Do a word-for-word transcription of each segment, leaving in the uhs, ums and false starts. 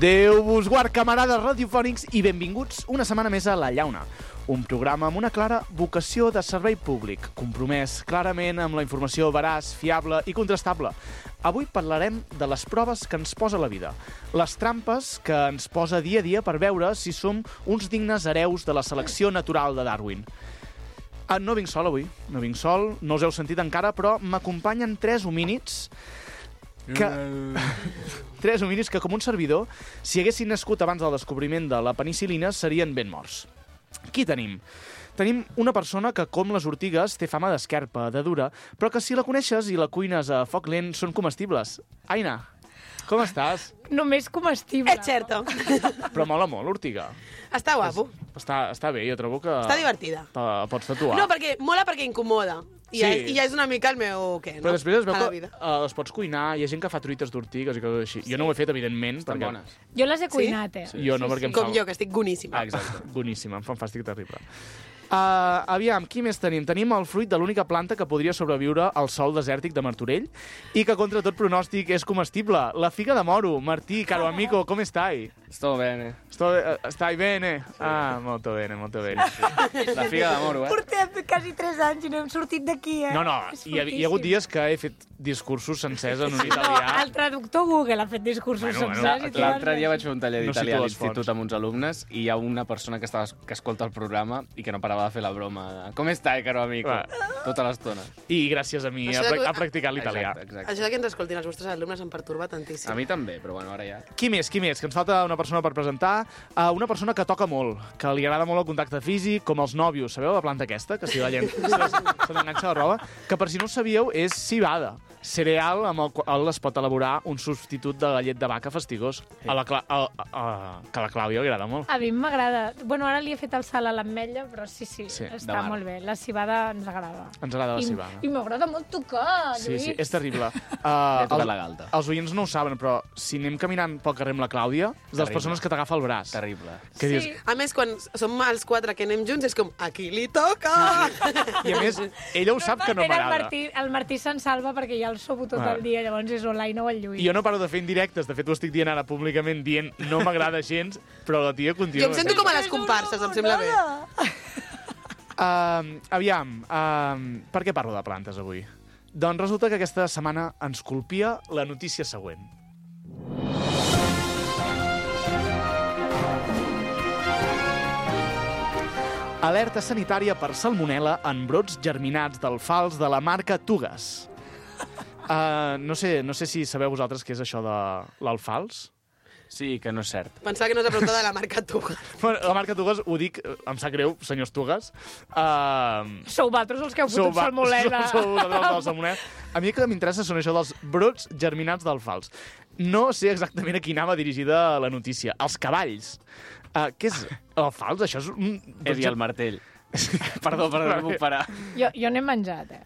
Déu vos guard, camarades radiofònics, i benvinguts una setmana més a La Llauna, un programa amb una clara vocació de servei públic, compromès clarament amb la informació veraç, fiable i contrastable. Avui parlarem de les proves que ens posa la vida, les trampes que ens posa dia a dia per veure si som uns dignes hereus de la selecció natural de Darwin. Ah, no vinc sol avui, no vinc sol, no us heu sentit encara, però m'acompanyen tres homínids que... tres homínids que, com un servidor, si haguessin nascut abans del descobriment de la penicil·lina, serien ben morts. Qui tenim? Tenim una persona que, com les ortigues, té fama d'esquerpa, de dura, però que si la coneixes i la cuines a foc lent són comestibles. Aina, com estàs? Només comestible. És certo. Però mola molt, l'ortiga. Està guapo. Està, està bé, jo trobo que... Està divertida. Te pots tatuar. No, perquè mola perquè incomoda. I, Sí. ja, I ja és una mica el meu... Què, no? Però després es veu A la que vida. uh, les pots cuinar, hi ha gent que fa truites d'ortigues i coses així. Jo no ho he fet, evidentment. Estan perquè... bones. Jo les he Sí? cuinat, eh? Sí. Jo no, perquè em Com fa... jo, que estic boníssima. Ah, exacte. Boníssima, em fa un fàstic terrible. Uh, aviam, qui més tenim? Tenim el fruit de l'única planta que podria sobreviure al sòl desèrtic de Martorell i que, contra tot pronòstic, és comestible. La figa de moro. Martí, caro amigo, com estai? Sto bene. Sto, uh, stai bene? Ah, molto bene, molto bene. La figa de moro, eh? Portem quasi tres anys i no hem sortit d'aquí, eh? No, no, És hi ha, hi ha hagut dies que he fet discursos sencers en un No, italià. el traductor Google ha fet discursos Bueno, bueno, sencers. i tu L'altre vas dia dir- vaig fer un taller No d'italià cito a les l'institut fonts. amb uns alumnes i hi ha una persona que, estava, que escolta el programa i que no parava de fer la broma de «Com està, caro amigo?» Va. Tota l'estona. I gràcies a mi, Això ha, de- prac- ha practicat l'italià. Exacte, exacte. Això que ens escoltin els vostres alumnes em pertorba tantíssim. A mi també, però bueno, ara ja... Qui més, qui més? Que ens falta una persona per presentar. Uh, una persona que toca molt, que li agrada molt el contacte físic, com els nòvios. Sabeu la planta aquesta? Que si la gent se se l'enganxa a la roba. Que per si no ho sabíeu, és civada. Cereal amb el qual es pot elaborar un substitut de la llet de vaca fastigós. A la Cla a, a, a, que a la Clàudia li agrada molt. A mi m'agrada. Bueno, ara li he fet el salt a l'ametlla, però sí, sí, Sí, està de mar. molt bé. La cibada ens agrada. Ens agrada la I, civada. I m'agrada molt tocar, Sí, Lluís. sí, és terrible. Li he Uh, tocat els, la galta. els oients no ho saben, però si anem caminant pel carrer amb la Clàudia, és de les Terrible. persones que t'agafa el braç. Terrible. Que dius, Sí. A més, quan som els quatre que anem junts, és com, a qui li toca? I a més, ella ho sap que no Normalment m'agrada. El Martí, el Martí se'n salva perquè ja el sobo tot Ah. el dia, llavors és o l'Aina o el Lluís. I jo no paro de fer indirectes, de fet ho estic dient ara públicament, dient no m'agrada gens, però la tia continua. Jo em sento com a les comparses, em sembla bé. Uh, aviam, uh, per què parlo de plantes avui? Doncs resulta que aquesta setmana ens colpia la notícia següent. Alerta sanitària per salmonel·la en brots germinats d'alfals de la marca Tugas. Uh, no, sé, no sé si sabeu vosaltres què és això de l'alfals. Sí, que no és cert. Pensava que no és la pregunta de la marca Tuga. Bueno, la marca Tugas, ho dic, eh, em sap greu, senyors Tugas. Uh, Sou vosaltres els que heu Sou fotut va- salmonel·la. Sou, sou vosaltres els del salmonel·la. A mi el que m'interessa són això dels brots germinats d'alfals. No sé exactament a qui anava dirigida la notícia. Els cavalls. Uh, què és l'alfals? Això és un... És i el martell. Perdó, perdó, no puc parar. Jo, jo n'he menjat, eh?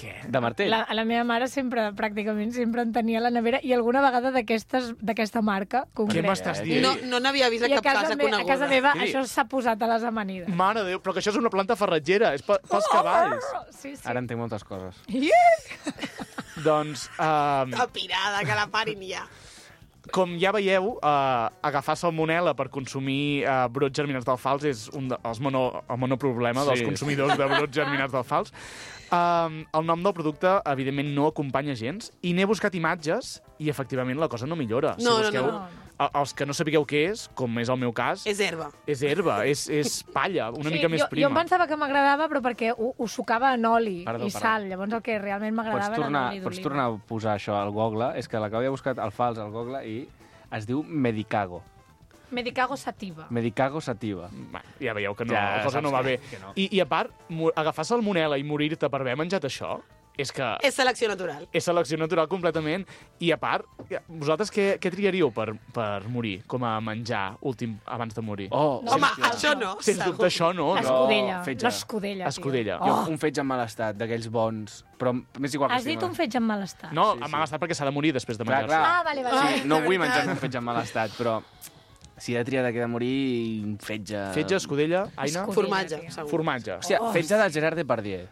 Què? De martell? La, la meva mare sempre, pràcticament, sempre en tenia a la nevera i alguna vegada d'aquestes d'aquesta marca Què concreta. m'estàs dient? No no n'havia vist a I a cap casa, casa me, a coneguda. casa meva Miri. això s'ha posat a les amanides. Mare de Déu, però que això és una planta farratgera, és pe pels cavalls. Sí, sí. Ara entenc moltes coses. Doncs, uh, Que pirada, que la parin ja. com ja veieu, uh, agafar salmonel·la per consumir uh, brots germinats d'alfals és un dels mono, el monoproblema Sí. dels consumidors de brots germinats d'alfals. Um, el nom del producte, evidentment, no acompanya gens, i n'he buscat imatges i, efectivament, la cosa no millora. No, si no, busqueu, no, a- Els que no sapigueu què és, com és el meu cas, És herba. és herba, és, és palla, una Sí, mica més jo, prima. Jo em pensava que m'agradava, però perquè ho, ho sucava en oli Perdó, i perdó. sal. Llavors el que realment Pots m'agradava era tornar, l'oli pots d'oliva. tornar a posar això al Google? És que la Clàudia ha buscat el fals al Google i es diu Medicago. Medicago sativa. Medicago sativa. Va, ja veieu que no, Ja la cosa saps no va que- bé. que no. I, I a part, mo- agafar salmonel·la i morir-te per haver menjat això, és que És selecció natural. és selecció natural completament. I a part, vosaltres què, què triaríeu per, per morir, com a menjar últim abans de morir? Oh, No, Home, sí, sí. això no. Sens segur. dubte això no. no. L'escudella. fetge. L'escudella, tio. Escudella. Jo, Oh. un fetge en mal estat, d'aquells bons, però m'és igual que Has dit sigui un fetge en mal estat? No, Sí, sí, sí. m'ha gastat perquè s'ha de morir després de Clar, menjar-se. clar. Ah, vale, vale. Sí, no de vull veritat. menjar un fetge en mal estat, però si he de triar de què de morir, un fetge... Fetge, escudella, Aina? Escudella. Formatge, tio. segur. Formatge. Hòstia, fetge de Gerard Depardieu.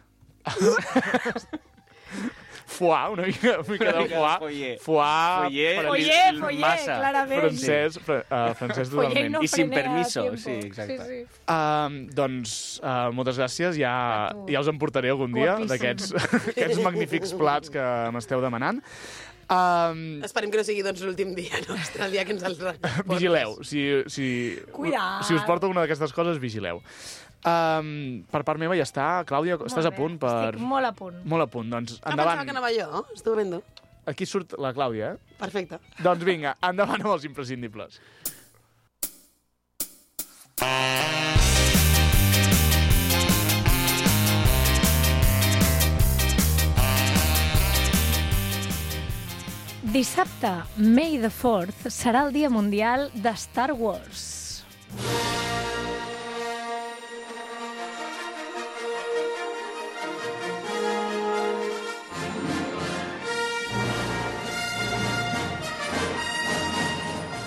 foie, una mica, una mica de foie. Foyer. Foie, Foyer, per- Foyer, foyer, massa. clarament. francès, fr uh, francès Foyer totalment. no I sin frenea permiso, tiempo. sí, exacte. Sí, sí. Um, doncs, uh, moltes gràcies. Ja, A tu. ja us en portaré algun dia Guapíssim. d'aquests aquests magnífics plats que m'esteu demanant. Um, Esperem que no sigui doncs, l'últim dia nostre, el dia que ens el portes. vigileu. Si, si, Cuidat. si us porto alguna d'aquestes coses, vigileu. Um, per part meva ja està. Clàudia, estàs a punt? Per... Estic molt a punt. Molt a punt. Doncs Ah, endavant. pensava que anava jo. Estupendo. Aquí surt la Clàudia, eh? Perfecte. Doncs vinga, endavant amb els imprescindibles. Dissabte, May the fourth, serà el Dia Mundial de Star Wars.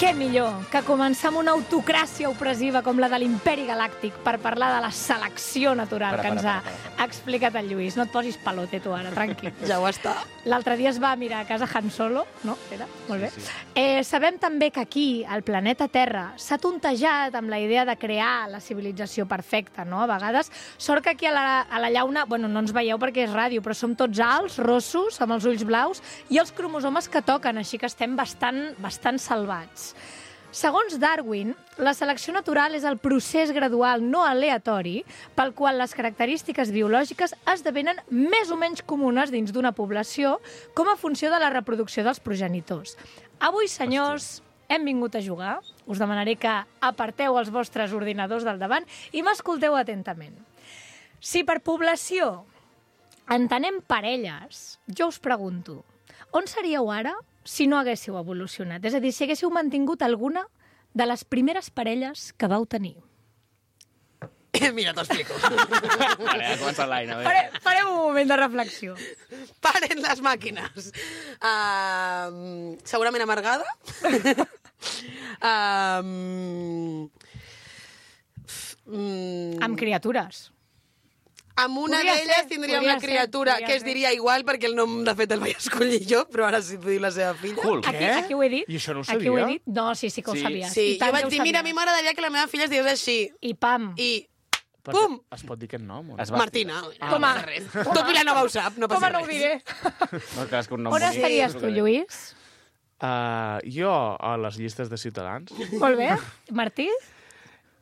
Què millor que començar amb una autocràcia opressiva com la de l'Imperi Galàctic per parlar de la selecció natural Para, que ens para, ha para, explicat el Lluís. No et posis pelote, tu, ara, tranquil. Ja ho està. L'altre dia es va mirar a casa Han Solo, no? Era? Molt bé. Sí, sí. Eh, sabem també que aquí, al planeta Terra, s'ha tontejat amb la idea de crear la civilització perfecta, no? A vegades, sort que aquí a la, a la llauna, bueno, no ens veieu perquè és ràdio, però som tots alts, rossos, amb els ulls blaus, i els cromosomes que toquen, així que estem bastant, bastant salvats. Segons Darwin, la selecció natural és el procés gradual no aleatori pel qual les característiques biològiques esdevenen més o menys comunes dins d'una població com a funció de la reproducció dels progenitors. Avui, senyors, hem vingut a jugar. Us demanaré que aparteu els vostres ordinadors del davant i m'escolteu atentament. Si per població entenem parelles, jo us pregunto, on seríeu ara si no haguéssiu evolucionat? És a dir, si haguéssiu mantingut alguna de les primeres parelles que vau tenir. Mira, t'ho explico. Vale, ha començat l'Aina. Fare, farem un moment de reflexió. Paren les màquines. Uh, segurament amargada. uh, mm, Amb criatures. amb una Podria d'elles ser, tindria podria una ser, criatura podria que es ser. diria igual perquè el nom, de fet, el vaig escollir jo, però ara sí t'ho diu la seva filla. Cool. Aquí, Què? aquí ho he dit. I això no ho Aquí ho he sabia? dit. No, sí, sí que ho Sí. sabies. Sí, I tant jo vaig que ho dir, mira, a mi sabies. m'agradaria que la meva filla es digués així. I pam. I Perquè Pum! Es pot dir aquest nom? O no? Es va- Martina. Ah. No passa res. Tot Vilanova ho sap, no Com passa no ho res. diré? No, clar, és que un nom On bonic, estaries és tu, el que- Lluís? Uh, jo, a les llistes de Ciutadans. Molt bé. Martí?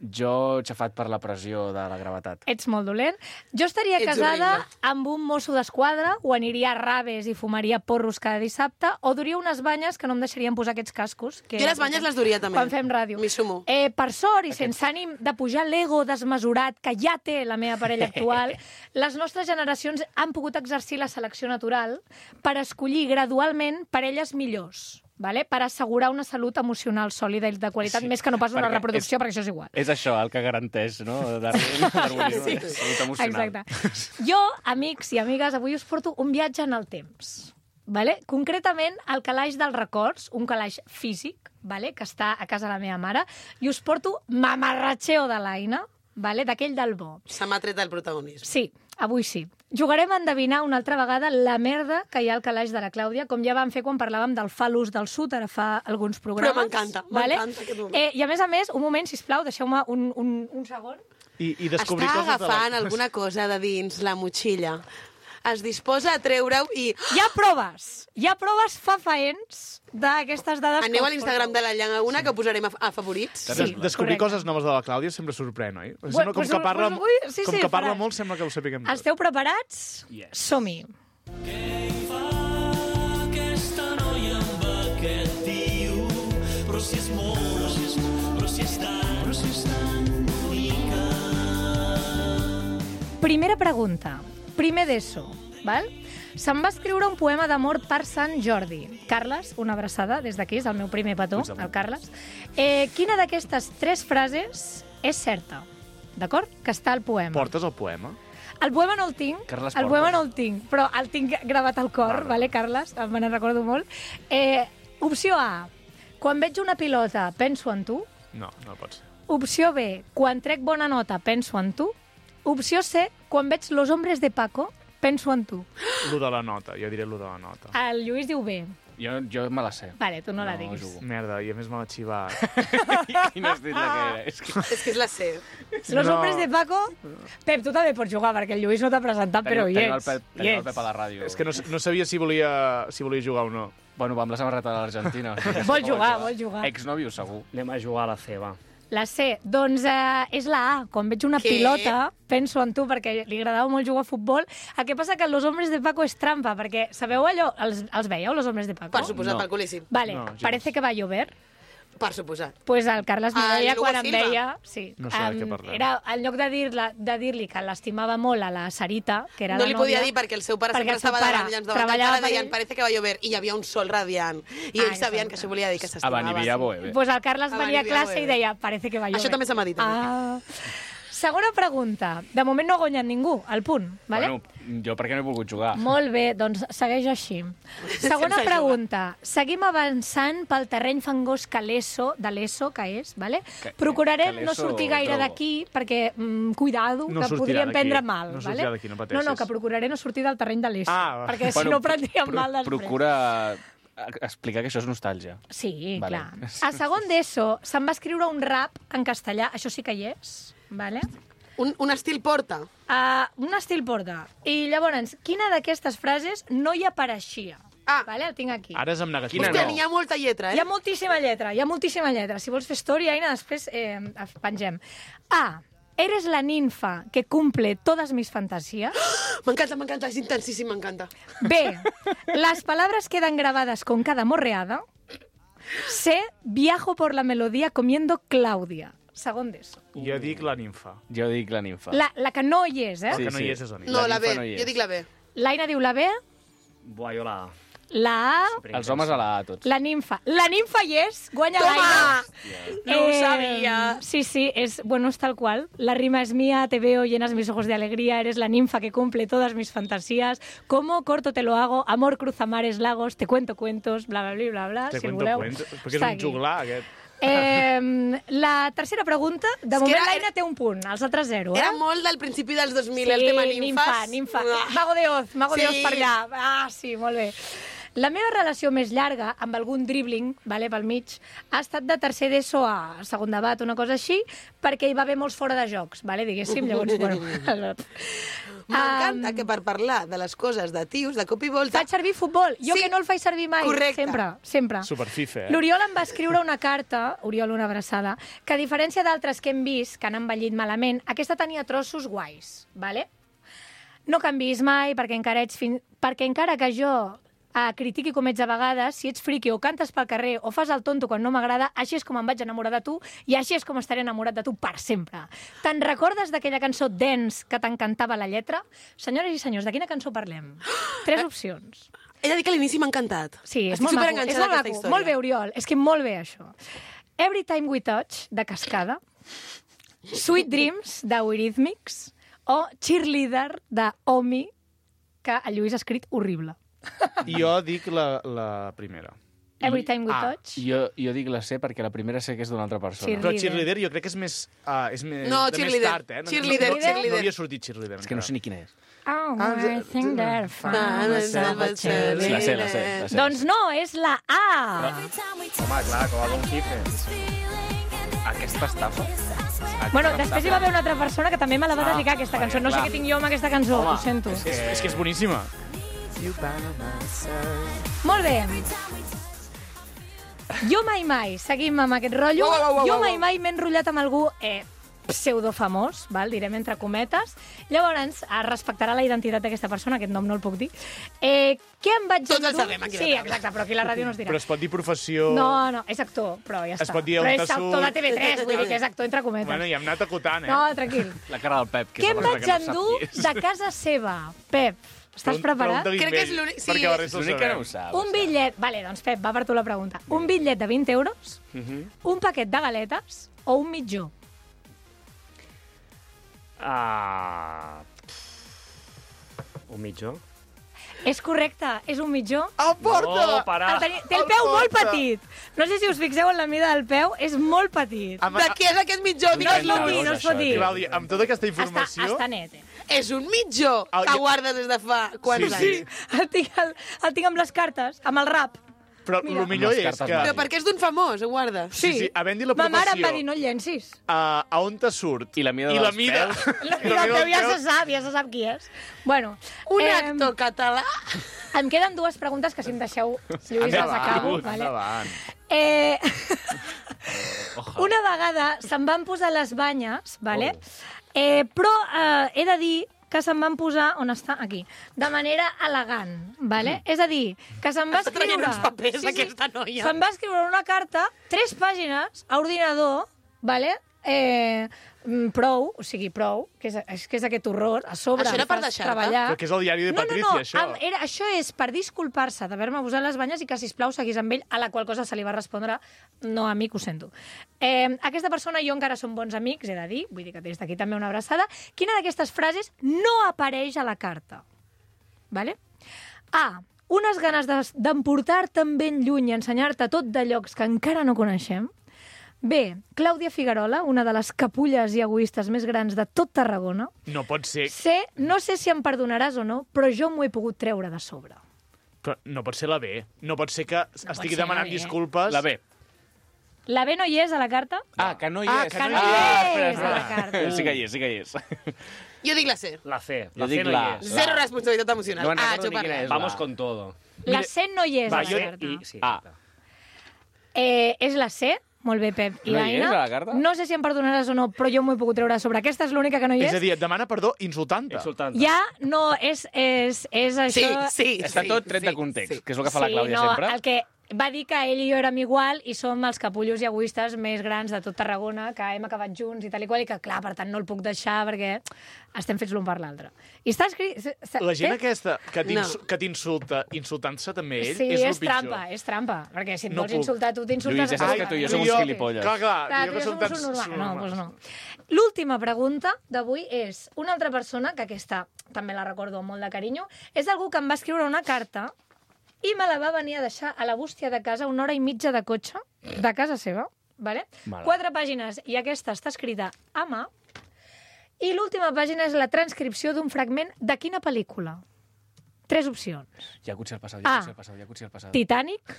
Jo, xafat per la pressió de la gravetat. Ets molt dolent. Jo estaria Ets casada horrible. amb un mosso d'esquadra, o aniria a raves i fumaria porros cada dissabte, o duria unes banyes que no em deixarien posar aquests cascos. Que Jo les banyes les duria també. Quan fem ràdio. M'hi sumo. Eh, per sort, i sense ànim de pujar l'ego desmesurat que ja té la meva parella actual, les nostres generacions han pogut exercir la selecció natural per escollir gradualment parelles millors, vale? Per assegurar una salut emocional sòlida i de qualitat, Sí, més que no pas una perquè reproducció, és- perquè això és igual. És això el que garanteix, no? Darwin, darwinisme, Sí. salut emocional. Exacte. Jo, amics i amigues, avui us porto un viatge en el temps. Vale? Concretament, al calaix dels records, un calaix físic, vale? Que està a casa de la meva mare, i us porto mamarratxeo de l'Aina, vale? D'aquell del bo. Se m'ha tret el protagonisme. Sí, avui sí. Jugarem a endevinar una altra vegada la merda que hi ha al calaix de la Clàudia, com ja vam fer quan parlàvem del falús del sud, ara fa alguns programes. Però m'encanta, m'encanta aquest moment. Eh, I a més a més, un moment, sisplau, deixeu-me un, un, un segon. I, i descobrir Està coses agafant de la... alguna cosa de dins la motxilla. Es disposa a treure-ho i... Hi ha proves, hi ha proves fafaents d'aquestes dades. Aneu que a us l'Instagram porto. de la Llana a, que posarem a, a favorits. Sí, Des descobrir correcte. coses noves de la Clàudia sempre sorprèn, oi? Bueno, Sembla com pues, que parla, pues avui- sí, com sí, que parla farà. molt, sembla que ho sapiguem tot. Esteu preparats? Yes. Som-hi. Aquesta noia amb aquest tio, però si és molt, però si és, però si és tan, però si és tan bonica. Primera pregunta. Primer d'ESO, val? Se'm va escriure un poema d'amor per Sant Jordi. Carles, una abraçada des d'aquí, és el meu primer petó, Puigdemont. el Carles. Eh, quina d'aquestes tres frases és certa? D'acord? Que està al poema. Portes el poema? El poema no el tinc, Carles el Porta. poema no el tinc, però el tinc gravat al cor, Vale. vale, Carles? Me n'en recordo molt. Eh, opció A. Quan veig una pilota, penso en tu. No, no pot ser. Opció B. Quan trec bona nota, penso en tu. Opció C. Quan veig Los hombres de Paco, penso en tu. Lo de la nota, jo diré lo de la nota. El Lluís diu B. Jo, jo me la sé. Vale, tu no, No la diguis. jugo. Merda, i a més me l'ha xivat. I no has dit la que era. És que... És que és la C. Los No. hombres de Paco... Pep, tu també pots jugar, perquè el Lluís no t'ha presentat, però hi Tenim el ets. Pep, Hi tenim el ets. Pep a la ràdio. És que no, no sabia si volia, si volia jugar o no. Bueno, va amb la samarreta de l'Argentina. O sigui, Vol no jugar, vol jugar. Exnòvio, segur. Anem a jugar a la C, va. La C, doncs eh, és la A. Quan veig una Què? pilota, penso en tu, perquè li agradava molt jugar a futbol. El que passa que Los hombres de Paco és trampa, perquè sabeu allò? Els, els veieu, Los hombres de Paco? Per suposat, No. pel culíssim. Vale, No, gens. parece que va a llover. Per suposat. Pues el Carles El Morella, Lugo quan em Silva. deia... Sí, No sé de què em, parlem. era, en lloc de dir-li de dir que l'estimava molt a la Sarita, que era No la li nòvia... podia dir perquè el seu pare perquè sempre el seu estava pare davant i ens davant del treballava pare per deien ell. parece que va llover i hi havia un sol radiant i Ah, ells sabien exacte. que això volia dir que A s'estimava. Baniviabo, eh? Pues el Carles A venia a Baniviabo, classe i eh? deia, parece que va llover. Això també se m'ha dit, també. Ah. Segona pregunta. De moment no ha guanyat ningú, el punt, vale? Bueno, jo perquè no he volgut jugar. Molt bé, doncs segueix així. Segona Sense pregunta. Seguim avançant pel terreny fangós que l'ESO, de l'ESO, que és, vale? Que- Procurarem que no l'ESO sortir gaire trobo. d'aquí, perquè, mm, cuidado, No que sortirà podríem d'aquí. prendre mal. No vale? sortirà d'aquí, no pateixis. No, no, que procuraré no sortir del terreny de l'ESO, Ah, va. perquè si no prendríem pro- mal després. Procura explicar que això és nostàlgia. Sí, Vale. clar. A segon d'ESO se'n va escriure un rap en castellà, això sí que hi és, vale? Un, un estil porta. Uh, un estil porta. I llavors, quina d'aquestes frases no hi apareixia? Ah. Vale, el tinc aquí. Ara és amb negatiu. Quina Hòstia, no? n'hi ha molta lletra, eh? Hi ha moltíssima lletra, hi ha moltíssima lletra. Si vols fer story, Aina, després eh, pengem. A. Eres la ninfa que cumple todas mis fantasías. M'encanta, m'encanta, és intensíssim, m'encanta. B. Las palabras quedan grabadas con cada morreada. C. Viajo por la melodía comiendo Claudia. Segon d'ESO. Jo dic la ninfa. Jo dic la ninfa. La, la que no hi és, eh? El Sí, que no sí. hi és és la ninfa. No, La la B, ninfa no hi és. jo dic la B. L'Aina diu la B, Buah, jo la A. la A, Els homes a la A, tots. la ninfa. La ninfa hi és, guanya Toma! l'Aina. No ho sabia. Sí, sí, es, bueno, es tal cual. La rima es mía, te veo, llenas mis ojos de alegría, eres la ninfa que cumple todas mis fantasías. Como corto te lo hago, amor cruza mares, lagos, te cuento cuentos, bla, bla, bla, bla, bla. Te si el cuento voleu. cuentos. Perquè és Està un aquí. juglar, aquest. Eh, la tercera pregunta, de És que moment era- l'Aina té un punt, els altres zero, eh? Era molt del principi dels dos mil, Sí, el tema ninfa, ninfes. ninfa. Uah. Mago de Oz, Mago de Sí. Oz per allà. Ah, sí, molt bé. La meva relació més llarga, amb algun dribbling, vale, pel mig, ha estat de tercer d'ESO a segon de bat, una cosa així, perquè hi va haver molts fora de jocs, vale, diguéssim, llavors, bueno... M'encanta Um, que per parlar de les coses de tios, de cop i volta... Faig servir futbol, jo Sí. que no el faig servir mai, Correcte. sempre, sempre. Superfife, eh? L'Oriol em va escriure una carta, Oriol, una abraçada, que a diferència d'altres que hem vist, que han envellit malament, aquesta tenia trossos guais, vale? No canvis mai, perquè encara, ets fin... perquè encara que jo eh, critiqui com ets a vegades, si ets friqui o cantes pel carrer o fas el tonto quan no m'agrada, així és com em vaig enamorar de tu i així és com estaré enamorat de tu per sempre. Te'n recordes d'aquella cançó Dance que t'encantava la lletra? Senyores i senyors, de quina cançó parlem? Tres opcions. He de dir que a l'inici m'ha encantat. Sí, és Estic molt maco. És superenganxada molt a aquesta maco. història. Molt bé, Oriol. És que molt bé, això. Every Time We Touch, de Cascada. Sweet Dreams, de Eurythmics. O Cheerleader, de Omi, que el Lluís ha escrit horrible. Jo dic la, la primera. Every Time We Ah, Touch. Jo, jo dic la C perquè la primera sé que és d'una altra persona. Sí. Però Cheerleader. cheerleader jo crec que és més... Uh, és més No, de cheerleader. més tard, eh? No, Cheerleader, no, no, cheerleader. No havia sortit cheerleader. És que no sé ni quina és. Oh, Ah, I think they're fun. myself a La sé, la sé, la sé. Doncs no, és la A. Home, clar, com a Don Cifre. Aquesta estafa? Bueno, després hi va haver una altra persona que també me la va dedicar, aquesta vale, cançó. No sé clar. què tinc jo amb aquesta cançó, Home, ho sento. És, és que és boníssima. Molt bé. Jo mai mai, seguim amb aquest rotllo, Uau, uau, uau, jo uau. mai mai m'he enrotllat amb algú eh, pseudofamós, val? Direm entre cometes. Llavors, es respectarà la identitat d'aquesta persona, aquest nom no el puc dir. Eh, què em vaig Tots el endur? sabem, aquí Sí, la taula. exacte, però aquí a la ràdio no es dirà. Però es pot dir professió... No, no, és actor, però ja Es està. pot dir on però és t'ha actor de surt. T V tres, vull dir que és actor entre cometes. Bueno, ja hem anat acotant, eh? No, tranquil. La cara del Pep. Que Què és em la vaig persona que no endur sap qui és. de casa seva? Pep, estàs Pregun- preparat? pregunta-li Crec que és ell, l'únic- sí, perquè la és resta ho L'únic que no sabem. ho sap. Un bitllet... Vale, doncs Pep, va per tu la pregunta. Un bitllet de vint euros, un paquet de galetes o un mitjó? Ah... Un mitjó? És correcte, és un mitjó. El porta! Oh, para! El teni- Té el el peu molt porta. petit. No sé si us fixeu en la mida del peu, és molt petit. Amb, De què és aquest mitjó? No es pot Digues-lo. dir, no es pot dir. Clàudia, amb tota aquesta Està, informació... està net, eh? és un mitjó Ah, que ja- guardes des de fa quants Sí, anys. sí. El tinc, el, el tinc amb les cartes, amb el rap. Però Mira. el millor Les és cartes que... Però perquè és d'un famós, ho guardes. Sí, sí, havent dit la Ma mare em professió. va dir, no el llencis. A, a on te surt? I la mida I dels la mida... pèls. I el teu ja se sap, ja se sap qui és. Bueno, Un eh, actor català. em queden dues preguntes que si em deixeu, Lluís, les Endavant, acabo. Vale? endavant. Eh, una vegada se'n van posar les banyes, vale? eh, però eh, he de dir que se'n van posar, on està? Aquí, de manera elegant, vale? És a dir, que se'n va Està traient escriure... uns papers, aquesta noia. Se'n va escriure una carta, tres pàgines, a ordinador, vale? Eh, mm, prou, o sigui, prou, que és, és, que és aquest horror, a sobre Això era per fas deixar-te? treballar. Però que és el diari de No, no, Patricia, no, això. am- Era, això és per disculpar-se d'haver-me posat les banyes i que, sisplau, seguís amb ell, a la qual cosa se li va respondre no, amic, ho sento. Eh, aquesta persona i jo encara som bons amics, he de dir, vull dir que des d'aquí també una abraçada. Quina d'aquestes frases no apareix a la carta? Vale? A. Unes ganes de- d'emportar-te amb ben lluny i ensenyar-te tot de llocs que encara no coneixem. B. Clàudia Figuerola, una de les capulles i egoistes més grans de tot Tarragona. No pot ser... C. No sé si em perdonaràs o no, però jo m'ho he pogut treure de sobre. Però no pot ser la B. No pot ser que pot estigui ser la demanant B. disculpes... La B. La B no hi és a la carta? Ah, que no hi Ah, és. que Que no no hi hi és. és a la carta. Sí que hi és, sí que hi és. Jo dic la C. La C. Jo La C dic no la- hi és. Zero responsabilitat emocional. No me'n ah, recordo jo ni quina parlo. és. Vamos la- con todo. La C no hi és Va, a la jo- carta. I, sí, Ah. Eh, és la C. Molt bé, Pep i No hi és Aina. a la carta? No sé si em perdonaràs o no, però jo m'ho he pogut treure de sobre. Aquesta és l'única que no hi És és. a dir, et demana perdó insultant-te. Insultant. Ja no, és, és, és Sí, això... sí, Està sí, tot tret sí, de context, sí. que és el que fa la sí, Clàudia no, sempre. El que va dir que ell i jo érem igual i som els capullos i egoistes més grans de tot Tarragona, que hem acabat junts i tal i qual, i que, clar, per tant, no el puc deixar perquè estem fets l'un per l'altre. I està escrit... La gent té- aquesta que t'ins- No. que t'insulta insultant-se també ell Sí, és, és, el pitjor. trampa, és trampa. Perquè si et No vols puc. insultar tu, t'insultes... Lluís, ja saps a que tu i jo tu. som uns gilipolles. Clar, clar, Clar, jo tu que i jo som som tan... uns normals. No, normals. doncs no. L'última pregunta d'avui és una altra persona, que aquesta també la recordo amb molt de carinyo, és algú que em va escriure una carta i me la va venir a deixar a la bústia de casa una hora i mitja de cotxe, de casa seva, vale? Mala. Quatre pàgines, i aquesta està escrita a mà, i l'última pàgina és la transcripció d'un fragment de quina pel·lícula? Tres opcions. Yakuza al pasado, Ah. Yakuza al pasado, Yakuza al pasado. Titanic,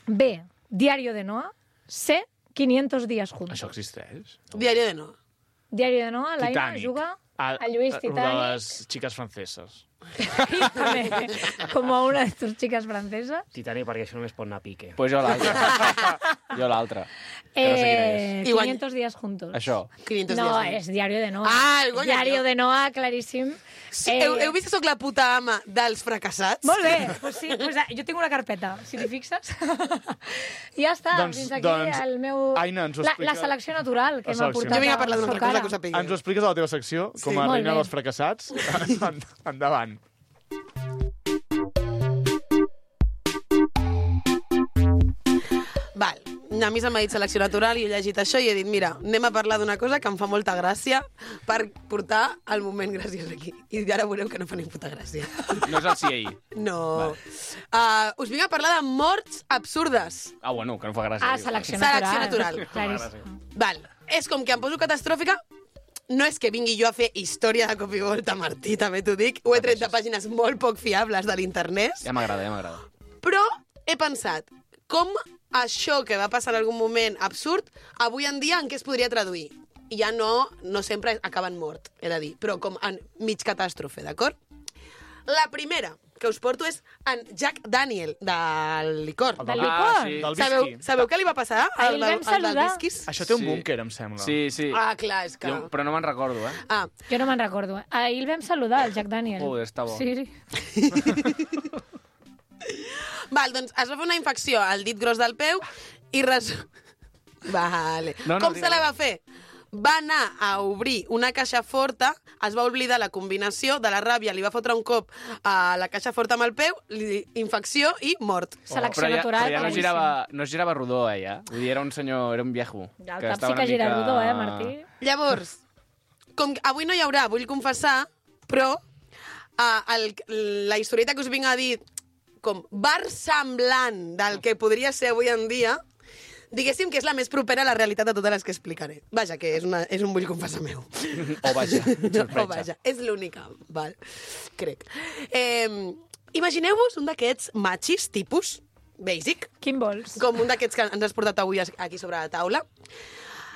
B, Diario de Noa, C, quinientos días juntos. Això existeix? Diari de no. Diario de Noa, l'Aina Titanic. juga Ah, a Lluís eh, Titanic. De les xiques franceses. També, com a una de tus chicas francesas. Titanic, perquè això només pot anar a pique. Pues jo l'altra. jo l'altra. Que no sé quina Eh, és. I guany- quinientos días juntos. Això. quinientos No, dies. és Diario de Noa. Ah, el Goya, Diario jo. de Noa, claríssim. Sí, heu, heu vist que sóc la puta ama dels fracassats? Molt bé, pues sí, pues, eh, jo tinc una carpeta, si t'hi fixes. I ja està, Doncs- fins aquí doncs, el meu... Aina, ens ho la, explica- la selecció natural que La m'ha selecció. portat Jo vinc a parlar d'una al altra cosa cara. que ho sapigueu. Ens ho expliques a la teva secció, com Sí. a Molt reina bé. dels fracassats? En- Endavant. Val. A mi se m'ha dit selecció natural i he llegit això i he dit, mira, anem a parlar d'una cosa que em fa molta gràcia per portar el moment graciós aquí. I ara veureu que no fa ni puta gràcia. No és el C I A. No. Uh, us vinc a parlar de morts absurdes. Ah, bueno, que no fa gràcia. Ah, diu. selecció Selecció natural. natural. Claríssim. Val. És com que em poso catastròfica, no és que vingui jo a fer història de cop i volta, Martí, també t'ho dic. Ho he tret de pàgines molt poc fiables de l'internet. Ja m'agrada, ja m'agrada. Però he pensat, com això que va passar en algun moment absurd, avui en dia en què es podria traduir? I ja no, no sempre acaben mort, he de dir, però com en mig catàstrofe, d'acord? La primera que us porto és en Jack Daniel, del licor. Del Ah, licor? sí. Del Sabeu, whisky. sabeu què li va passar Ahir el vam al, al del saludar. whiskies? Això té un Sí. búnquer, em sembla. Sí, sí. Ah, clar, és que... Jo, però no me'n recordo, eh? Ah, Jo no me'n recordo. Eh? Ahir el vam saludar, el Jack Daniel. Joder, està bo. Sí, sí. val, doncs es va fer una infecció al dit gros del peu i res... Vale. No, no, Com digue. se la va fer? Va anar a obrir una caixa forta, es va oblidar la combinació de la ràbia, li va fotre un cop a la caixa forta amb el peu, li, infecció i mort. Selecció però ja, natural. però ja no claríssim. girava, no girava rodó, eh, ja? Vull dir, era un senyor, era un viejo. Ja, el que cap estava sí que una gira mica- rodó, eh, Martí? Llavors, com que avui no hi haurà, vull confessar, però uh, el, la historieta que us vinc a dir com bar semblant del que podria ser avui en dia, diguéssim que és la més propera a la realitat de totes les que explicaré. Vaja, que és, una, és un bull confessar meu. O vaja, O vaja, és l'única, val? Crec. Eh, Imagineu-vos un d'aquests machis, tipus, basic, Quin vols? com un d'aquests que ens has portat avui aquí sobre la taula.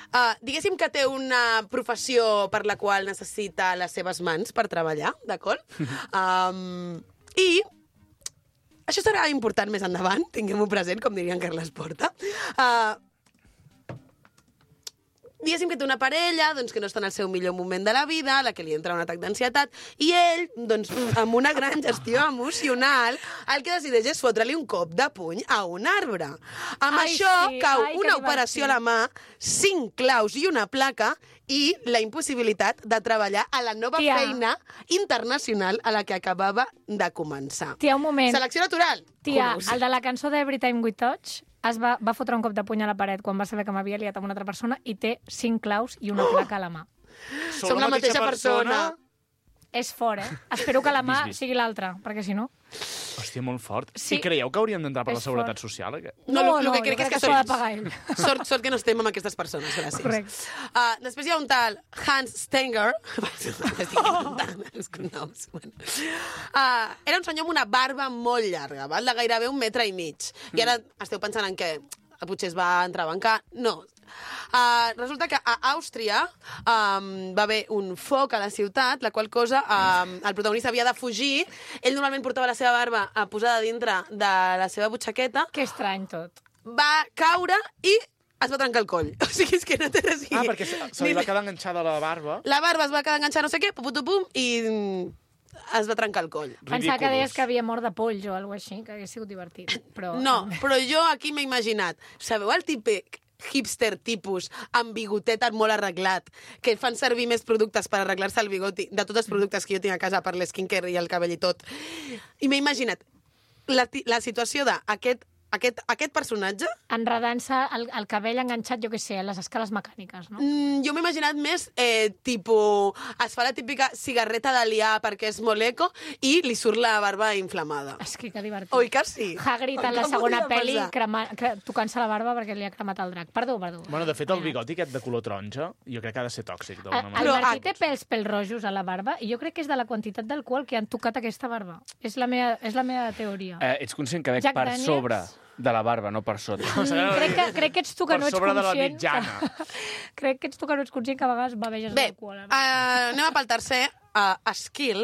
Uh, diguéssim que té una professió per la qual necessita les seves mans per treballar, d'acord? Um, I això serà important més endavant, tinguem-ho present, com diria en Carles Porta. Uh, diguéssim que té una parella doncs, que no està en el seu millor moment de la vida, a la que li entra un atac d'ansietat, i ell, doncs, amb una gran gestió emocional, el que decideix és fotre-li un cop de puny a un arbre. Amb Ai, això sí, cau ai, que una operació a la mà, cinc claus i una placa, i la impossibilitat de treballar a la nova Tia. feina internacional a la que acabava de començar. Tia, un moment. Selecció natural. Tia, Curus. el de la cançó d'Every Time We Touch es va, va fotre un cop de puny a la paret quan va saber que m'havia liat amb una altra persona i té cinc claus i una placa a la mà. Som la mateixa persona. És fort, eh? Espero que la mà Vist, vist. sigui l'altra, perquè si no... Hòstia, molt fort. Sí. I creieu que hauríem d'entrar per la És Seguretat fort. Social? Aquest? No, no, el que jo crec és que s'ho ha de pagar ell. Sort, sort que no estem amb aquestes persones, gràcies. Correcte. Uh, després hi ha un tal Hans Stenger. Estic inventant els cognoms. Bueno. Uh, era un senyor amb una barba molt llarga, val? De gairebé un metre i mig. I ara esteu pensant en què? Potser es va entrebancar? No. Uh, resulta que a Àustria um, va haver un foc a la ciutat, la qual cosa um, el protagonista havia de fugir. Ell normalment portava la seva barba uh, posada dintre de la seva butxaqueta, Que estrany tot. va caure i es va trencar el coll. O sigui, és que no té res a dir. Ah, perquè se, se li va quedar enganxada la barba. La barba es va quedar enganxada no sé què, pum, pum, pum, i mm, es va trencar el coll. Pensava que Ridiculous. deies que havia mort de polls o alguna així, que hagués sigut divertit. Però... No, però jo aquí m'he imaginat. Sabeu el típic hipster tipus amb bigotet molt arreglat, que fan servir més productes per arreglar-se el bigoti, de tots els productes que jo tinc a casa per l'esquincare i el cabell i tot. I m'he imaginat la, ti- la situació d'aquest aquest, aquest personatge, Enredant-se el, el cabell enganxat, jo què sé, a les escales mecàniques, no? mm, jo m'he imaginat més eh, tipus, es fa la típica cigarreta de liar perquè és molt eco i li surt la barba inflamada. És que que divertit. Oi que sí? Hagrid en Oi la que segona podria pel·li passar? crema, cre, tocant-se la barba perquè li ha cremat el drac. Perdó, perdó. Bueno, de fet, el bigoti aquest de color taronja, jo crec que ha de ser tòxic, El, d'alguna el manera. Però, Martí ah, té pèls pèls rojos a la barba i jo crec que és de la quantitat d'alcohol que han tocat aquesta barba. És la meva, és la meva teoria. Eh, ets conscient que veig Jack per Daniels? sobre de la barba, no per sota. Mm, crec, que, crec que ets tu que Per no ets sobre de la conscient. mitjana. Que, crec que ets tu que no ets conscient que a vegades beveges Bé, alcohol. uh, anem a pel tercer, uh, skill.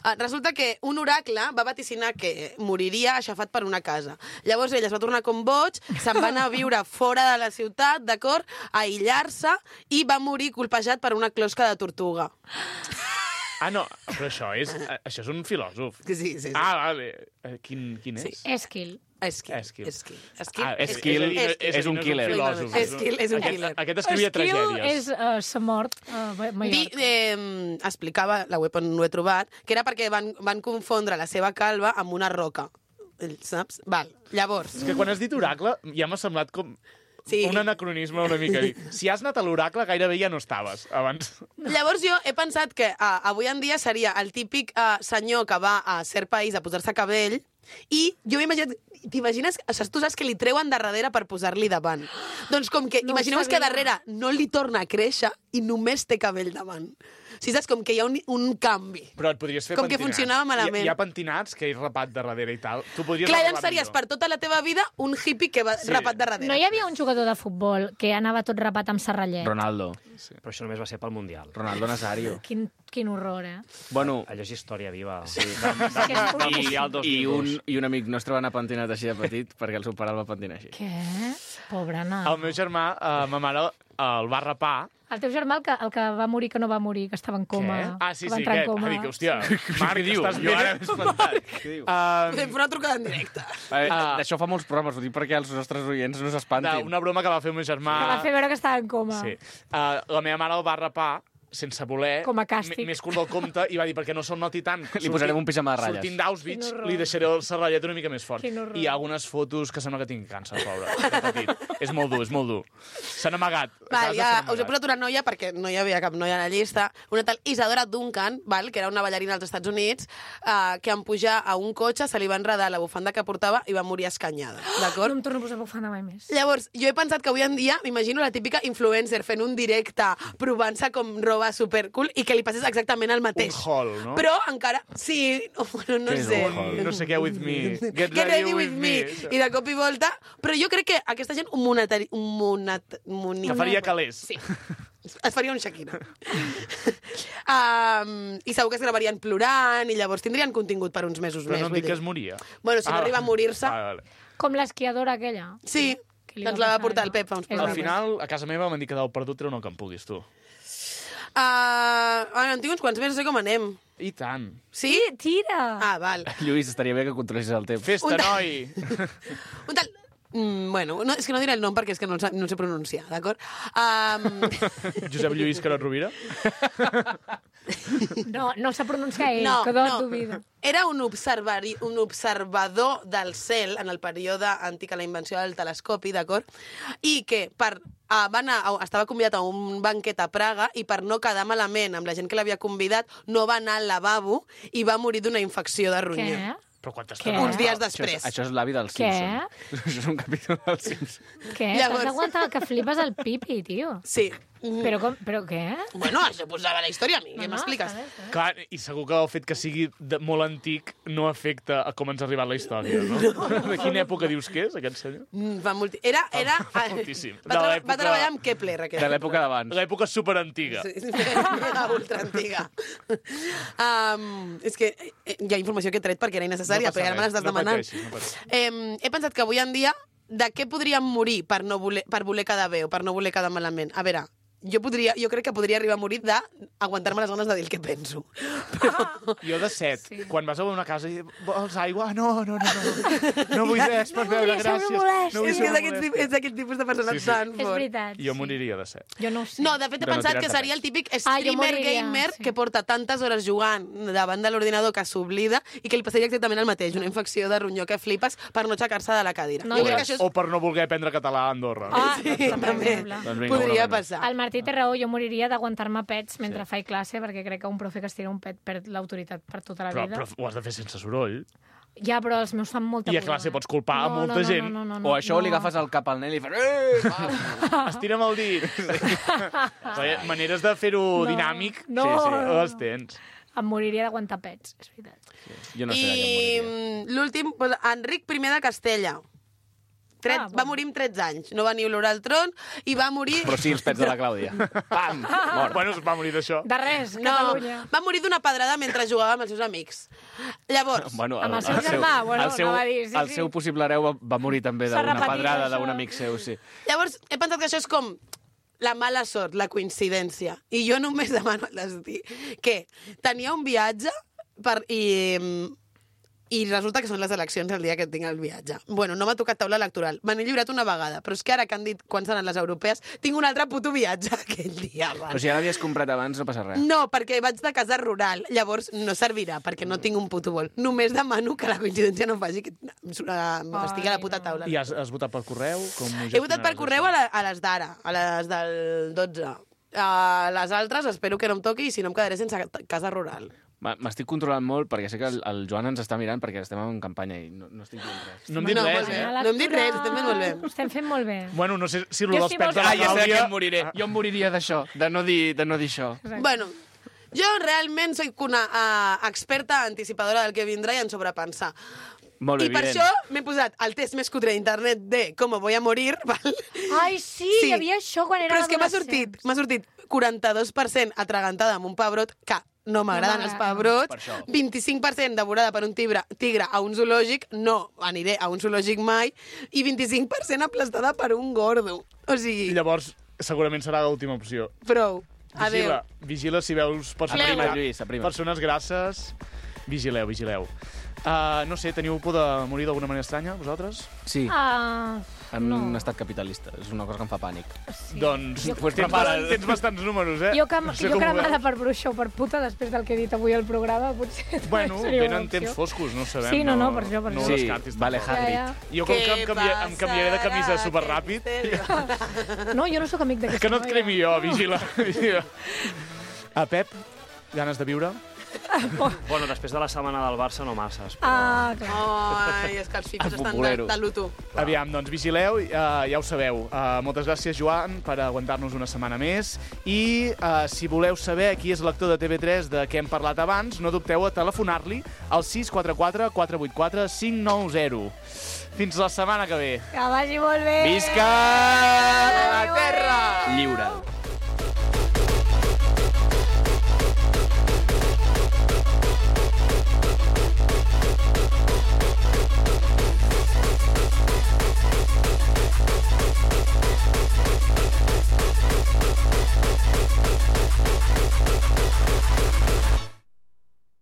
Uh, resulta que un oracle va vaticinar que moriria aixafat per una casa. Llavors ell es va tornar com boig, se'n va anar a viure fora de la ciutat, d'acord, a aïllar-se, i va morir colpejat per una closca de tortuga. Ah, no, però això és, això és un filòsof. Sí, sí, sí. Ah, vale. Eh, Quin, quin és? Sí. Skill. Skill. Skill. Skill. Skill. Ah, és, Skill és, és, és, és un no killer. filòsof. Skill és un Aquest- killer. Aquest escrivia Skill tragèdies. és uh, sa mort a uh, Di, Mallorca. eh, explicava, la web on ho he trobat, que era perquè van, van confondre la seva calva amb una roca. El- Saps? Val. Llavors, És que quan has dit oracle ja m'ha semblat com Sí. un anacronisme una mica. Dir, si has anat a l'oracle, gairebé ja no estaves abans. llavors jo he pensat que uh, avui en dia seria el típic uh, senyor que va a cert país a posar-se cabell i jo m'he imaginat... T'imagines? O sigui, tu saps que li treuen de darrere per posar-li davant. Doncs com que... No ho imagineu que sabia. darrere no li torna a créixer i només té cabell davant. O sigui, saps? Com que hi ha un, un canvi. Però et podries fer Com que pentinats. funcionava malament. Hi, hi ha pentinats que és rapat de darrere i tal. Tu podries Clar, arreglar llavors series millor. per tota la teva vida un hippie que va Sí. rapat de darrere. No hi havia un jugador de futbol que anava tot rapat amb serrallet? Ronaldo. Però això només va ser pel Mundial. Ronaldo Nazario. Quin, quin horror, eh? Bueno, Allò és història viva. sí. Que és Del Mundial dos I mil dos. un, I un amic nostre va anar pentinat així de petit perquè el seu pare el va pentinar així. Què? Pobre nano. El meu germà, uh, ma mare, el va rapar. El teu germà, el que, el que va morir, que no va morir, que estava en coma. Què? Ah, sí, que va sí, entrar en aquest. coma. Ah, dic, hòstia, Marc, Què diu? estàs Jo ara bé? m'he espantat. Què diu? Uh, Fem una trucada en directe. Eh, Ah. D'això fa molts programes, ho dic perquè els nostres oients no s'espantin. una broma que va fer el meu germà... Que va fer veure que estava en coma. Sí. Uh, la meva mare el va rapar sense voler, Com a càstig. més curt del compte, i va dir, perquè no se'l noti tant. Li posarem un pijama de ratlles. Sortint d'Auschwitz, Quin horror. li deixaré el serrallet una mica més fort. Quin horror. I hi ha algunes fotos que sembla que tingui càncer, pobre. de petit. És molt dur, és molt dur. S'han amagat. A Val, casa ja, s'han us he amagat. posat una noia, perquè no hi havia cap noia a la llista, una tal Isadora Duncan, val, que era una ballarina als Estats Units, eh, que en pujar a un cotxe se li va enredar la bufanda que portava i va morir escanyada, No d'acord? em torno a posar bufanda mai més. Llavors, jo he pensat que avui en dia, m'imagino la típica influencer fent un directe, provant-se com roba supercool i que li passés exactament el mateix. Un haul, no? Però encara, sí, no, bueno, no Què és sé. un haul? No sé què, with me. Get, Get ready with me. I de cop i volta... Però jo crec que aquesta gent un monetari... Un monat... Moni... Que faria calés. Sí. Es faria un Shakira. um, I segur que es gravarien plorant i llavors tindrien contingut per uns mesos Però més. no em vull dic que dir. es moria. Bueno, si no Ah, arriba a morir-se... Vale, vale. Com l'esquiadora aquella. Sí, Que li doncs va la va passar portar el allò. Pep fa uns És Al veritat. final, a casa meva m'han dit que del perdut treu no que em puguis, tu. Uh, en tinc uns quants més, no sé com anem. I tant. Sí? Tira! Ah, val. Lluís, estaria bé que controlessis el temps. Festa, Un de- noi! Un tal... Mm, bueno, no, és que no diré el nom perquè és que no el, sa- no el sé pronunciar, d'acord? Um, Josep Lluís Carot Rovira? No, no s'ha pronunciat ell, no, que no, no. dubida. Era un, observari, un observador del cel en el període antic a la invenció del telescopi, d'acord? I que per, uh, va anar, a- estava convidat a un banquet a Praga i per no quedar malament amb la gent que l'havia convidat no va anar al lavabo i va morir d'una infecció de ronyó. Què? Però quanta Què? estona? Uns dies Això després. és, això és l'avi del Què? Simpson. Això és un capítol del Simpson. Què? Llavors- T'has d'aguantar que flipes el pipi, tio. Sí. Mm. Però, com, però què? Bueno, això posava la història a mi, què No, no, m'expliques? està bé, està bé. Clar, i segur que el fet que sigui de, molt antic no afecta a com ens ha arribat la història, no? De quina època dius que és, aquest senyor? Mm, fa molt... Era... era... Fa moltíssim. Va, De tra l'època- va treballar amb Kepler, aquest. De l'època d'abans. L'època superantiga. Sí, mega ultra antiga. Um, és que eh, hi ha informació que he tret perquè era innecessària, No passa perquè ara me res, l'estàs no demanant. pateixis, no pateixis. Eh, he pensat que avui en dia de què podríem morir per, no voler, per voler quedar bé o per no voler quedar malament? A veure, jo, podria, jo crec que podria arribar a morir d'aguantar-me les ganes de dir el que penso. Però... Jo de set, Sí. quan vas a una casa i vols aigua? No, no, no, no. No vull res per No beure, vull ser gràcies. molest. No vull és ser que és d'aquest molest. tipus, és d'aquest tipus de persona Sí, sí. tan És fort. veritat. Jo sí. moriria de set. Jo no ho sé. No, de fet he De no pensat tirar-te que seria pets. el típic Ah, jo streamer moriria, gamer sí. que porta tantes hores jugant davant de l'ordinador que s'oblida i que li passaria exactament el mateix, una infecció de ronyó que flipes per no aixecar-se de la cadira. No, jo jo- crec que això és... O per no voler aprendre català a Andorra. Ah, Sí, per també. exemple. Doncs vinga, Podria una menys. passar. El Martí té raó, jo moriria d'aguantar-me pets mentre faig classe, perquè crec que un profe que es tira un pet perd l'autoritat per tota la Però, vida. però ho has de fer sense soroll. Ja, però els meus fan molta I a pudor, classe eh? pots culpar a no, molta no, no, gent. No, no, no, O això no. li agafes el cap al nen i li fas... Eh, va. Estira'm el dit. Sí. Maneres de fer-ho No, dinàmic, no, sí, sí, no. les tens. Em moriria d'aguantar pets, és veritat. Jo no sé de què em I moriria. mm, l'últim, doncs, Enric primer de Castella. Tret, Ah, va bueno. morir amb tretze anys, no va ni olorar el tron i va morir... Però sí, els pets de la Clàudia. Pam! Mort. Bueno, es va morir d'això. De res, No, Catalunya. va morir d'una pedrada mentre jugava amb els seus amics. Llavors, Bueno, Amb el seu germà, bueno, el seu, anava a dir, sí, el sí. seu possible hereu va, va morir també S'ha d'una repetit, pedrada això. d'un amic seu, sí. llavors he pensat que això és com la mala sort, la coincidència. I jo només demano al destí que tenia un viatge per, i, i resulta que són les eleccions el dia que tinc el viatge. Bueno, no m'ha tocat taula electoral. Me n'he lliurat una vegada, però és que ara que han dit quan seran les europees, tinc un altre puto viatge aquell dia. Però Abans. si ja l'havies comprat abans, no passa res. No, perquè vaig de casa rural, llavors no servirà, perquè no tinc un puto vol. Només demano que la coincidència no faci que uh, estigui a la puta taula. I has, has votat per correu? Com ho He votat per gestionaràs, correu a, això? la, a les d'ara, a les del dotze. A les altres espero que no em toqui i si no em quedaré sense ca- casa rural. M- M'estic controlant molt perquè sé que el, el Joan ens està mirant perquè estem en campanya i no, no estic dient res. No hem dit No, res, molt bé. eh? No hem dit res, estem fent molt bé. Ho estem fent molt bé. Bueno, no sé si Jo el dels sí pets vols- de la Ah, ja sé de Clàudia... em moriré. Jo em moriria d'això, de no dir, de no dir això. Bueno, jo realment soc una uh, experta anticipadora del que vindrà i en sobrepensar. Molt bé, I per evident. això m'he posat el test més cutre d'internet de com voy a morir, val? Ai, sí, hi havia això quan era Però és que m'ha adolescent. sortit, m'ha sortit quaranta-dos per cent atragantada amb un pebrot, que no m'agraden els m'agrada. pebrots, Per això. vint-i-cinc per cent devorada per un tigre, tigre a un zoològic, no aniré a un zoològic mai, i vint-i-cinc per cent aplastada per un gordo. O I sigui, llavors, segurament serà l'última opció. prou. Adéu. Vigila, vigila si veus persones, Aprima, Lluís, aprima. persones grasses. Vigileu, vigileu. Uh, no sé, teniu por de morir d'alguna manera estranya, vosaltres? Sí, Ah, en no. un estat capitalista. És una cosa que em fa pànic. sí. Doncs Jo- pues tens, prepara't. tens bastants números, eh? Jo, cam No sé jo com ho cremada veus. per bruixa o per puta, després del que he dit avui al programa, potser Bueno, seria una venen opció. temps foscos, no ho sabem. Sí, no, no, per això, per no això. ho Sí, descartis vale, tampoc. Hagrid. Ja, Jo com que em, canvia, em canviaré de camisa superràpid, ja. No, jo no sóc amic d'aquesta que no et noia. cremi jo, vigila. vigila. A Pep, ganes de viure? Bueno, després de la setmana del Barça no masses. Però... Ah, clar. Ai, és que els fifes El estan de, futbolero. de luto. Aviam, doncs vigileu, uh, ja ho sabeu. Uh, moltes gràcies, Joan, per aguantar-nos una setmana més. I uh, si voleu saber qui és l'actor de T V tres de què hem parlat abans, no dubteu a telefonar-li al sis quatre quatre quatre vuit quatre cinc nou zero. Fins la setmana que ve. Que vagi molt bé. Visca!